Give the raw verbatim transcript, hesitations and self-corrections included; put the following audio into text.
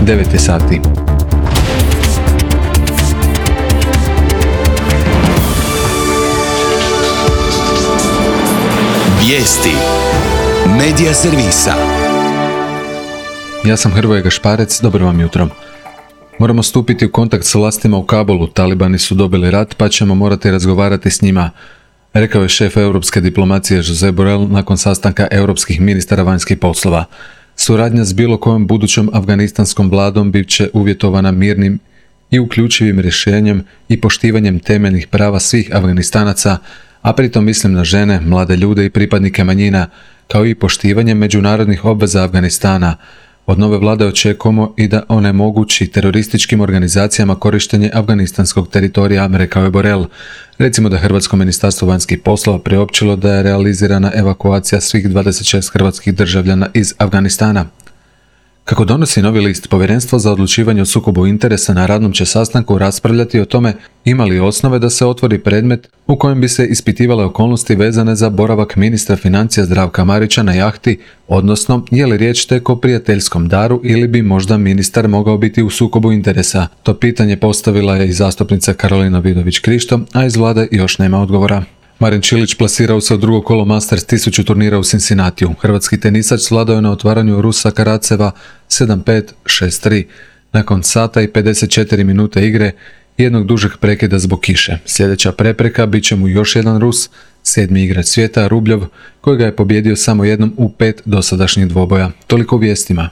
devet je sati. Vijesti Medija servisa. Ja sam Hrvoje Gašparec, dobro vam jutro. Moramo stupiti u kontakt s vlastima u Kabulu, talibani su dobili rat pa ćemo morati razgovarati s njima, rekao je šef europske diplomacije Josep Borrell nakon sastanka europskih ministara vanjskih poslova. Suradnja s bilo kojom budućom afganistanskom vladom bit će uvjetovana mirnim i uključivim rješenjem i poštivanjem temeljnih prava svih Afganistanaca, a pritom mislim na žene, mlade ljude i pripadnike manjina, kao i poštivanjem međunarodnih obveza Afganistana. Od nove vlade očekujemo i da onemogući terorističkim organizacijama korištenje afganistanskog teritorija, rekao je Borrell. Recimo da Hrvatsko ministarstvo vanjskih poslova priopćilo da je realizirana evakuacija svih dvadeset šest hrvatskih državljana iz Afganistana. Kako donosi Novi list, Povjerenstvo za odlučivanje o sukobu interesa na radnom će sastanku raspravljati o tome ima li osnove da se otvori predmet u kojem bi se ispitivale okolnosti vezane za boravak ministra financija Zdravka Marića na jahti, odnosno je li riječ tek o prijateljskom daru ili bi možda ministar mogao biti u sukobu interesa. To pitanje postavila je i zastupnica Karolina Vidović-Krišto, a iz vlade još nema odgovora. Marin Čilić plasirao se u drugo kolo Masters tisuću turnira u Cincinnatiju. Hrvatski tenisač svladao je na otvaranju Rusa Karaceva sedam pet šest tri. Nakon sata i pedeset četiri minute igre i jednog dužeg prekida zbog kiše. Sljedeća prepreka bit će mu još jedan Rus, sedmi igrač svijeta Rubljov, kojega je pobjedio samo jednom u pet dosadašnjih dvoboja. Toliko u vijestima.